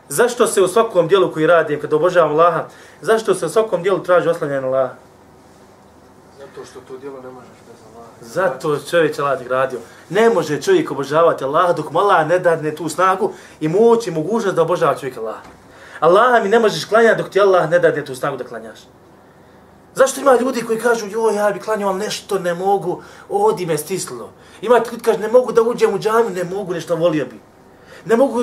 Zašto se u svakom dijelu koji radim, kad obožavam Allaha, zašto se u svakom dijelu traži oslanjanje na Allaha? Zato što to djelo ne možeš bez Allaha. Zato čovjek Allah gradio. Ne može čovjek obožavati Allaha dok mu Allah ne dadne tu snagu i moć i mogućnost da obožava čovjek Allaha. Allaha mi ne možeš klanjati dok ti Allah ne dadne tu snagu da klanjaš. Zašto ima ljudi koji kažu, joj, ja bi klanjao, ali nešto ne mogu, odi me stislo. Ima ljudi koji kažu, ne mogu da uđem u džamiju, ne mogu, nešto volio bi. Ne mogu,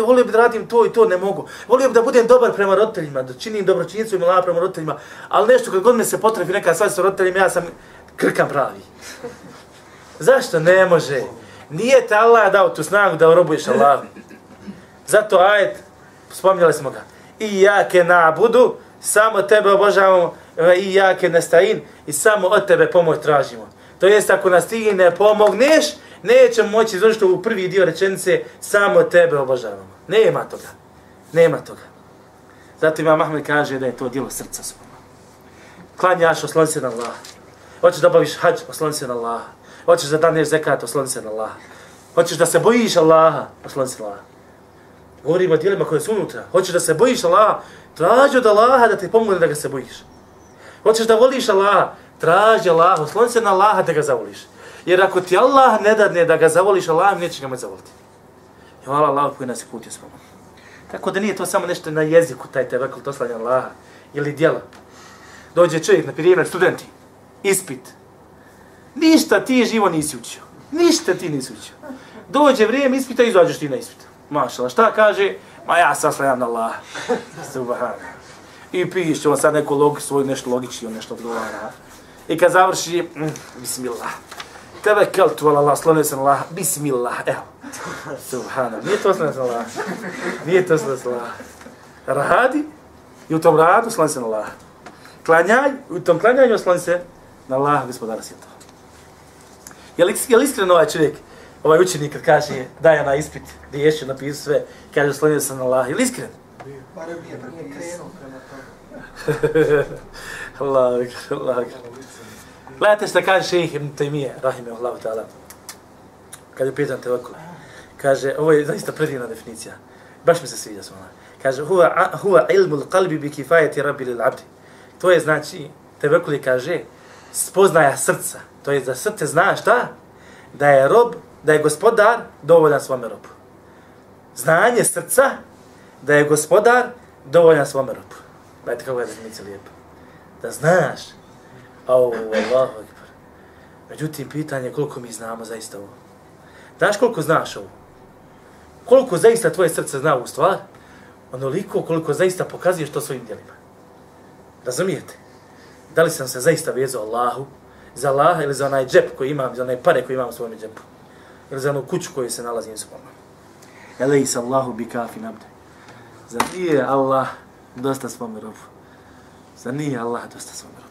volio bi da radim to i to, ne mogu. Volio bi da budem dobar prema roditeljima, da činim dobročinjstvo i mila prema roditeljima, ali nešto kad god me se potrebi neka svađa sa roditeljima, ja sam krkan pravi. Zašto? Ne može. Nije te Allah dao tu snagu da robuješ Allahu. Zato ajet, spominjali smo ga, Iyake na'budu, samo tebe obožavamo, Iyake nasta'in, i samo od tebe pomoć tražimo. To jest, ako nas ti ne pomogneš, nećemo moći izvršiti u prvi dio rečenice, samo tebe obožavamo. Nema toga. Nema toga. Zato Imam Ahmed kaže da je to djelo srca svojima. Klanjaš, osloni se na Allah. Hoćeš da obaviš hadž, osloni se na Allah. Hoćeš da daneš zekat, osloni se na Allah. Hoćeš da se bojiš Allaha, osloni se na Allah. Govorimo o djelima koje su unutra. Hoćeš da se bojiš Allaha, traži od Allaha da ti pomogne da ga se bojiš. Hoćeš da voliš Allaha, traži Allaha, osloni se na Allaha da ga zavoliš. Jer ako ti Allah ne dadne da ga zavoliš, Allah neće ga moći zavoliti. I hvala Allahu koji nas je putio s vama. Tako da nije to samo nešto na jeziku, taj tevekul, to slanja Allaha, ili djela. Dođe čovjek, na primjer, studenti, ispit. Ništa ti živo nisi učio. Ništa ti nisi učio. Dođe vrijeme ispita i izađeš ti na ispit. Mašala, šta kaže? Ma ja saslanjam na Allaha. Subhanallah. I piše on sad neku logiku, svoju nešto logički, on nešto odgovara. I kad završi, bismillah. Tevekeltu ala Allah, slonio se na Allah, bismillah, evo. Subhanallah, nije to slonio se na Allah. Nije to slonio se na Allah. Radi i u tom radu slonio se na Allah. Klanjaj, u tom klanjanju slonio se na Allah, gospodara svijeta. Je li iskreno ovaj čovjek, ovaj učenik kad kaže, daje na ispit, gdje je ještě napisao sve, kaže slonio se na Allah, je li iskren? Barem nije krenuo prema tome. Allah. Gledajte što kaže šejh Ibn Taymije, rahimehullahu ta'ala. Kad je pitan tevekul, kaže, ovo je zaista predivna definicija. Baš mi se sviđa s ona. Kaže, huwa ilmul qalbi bi kifayati rabbi lil abdi. To je znači, tevekul kaže, spoznaja srca. To je da srce zna šta? Da je rob, da je gospodar dovoljan svome robu. Znanje srca da je gospodar dovoljan svome robu. Gledajte kako je definicija lijepa. Da znaš, Allahu ekber. Međutim, pitanje je koliko mi znamo zaista ovo. Znaš koliko znaš ovo? Koliko zaista tvoje srce zna ovu stvar? Onoliko koliko zaista pokazuješ to svojim djelima. Razumijete? Da li sam se zaista vezao Allahu, za Allaha ili za onaj džep koji imam, za onaj pare koji imam u svojom džepu? Ili za onu kuću koju se nalazim s vama? Elejsa Allahu bi kafi nabde. Zar nije Allah dosta svome robu? Zar nije Allah dosta svome robu?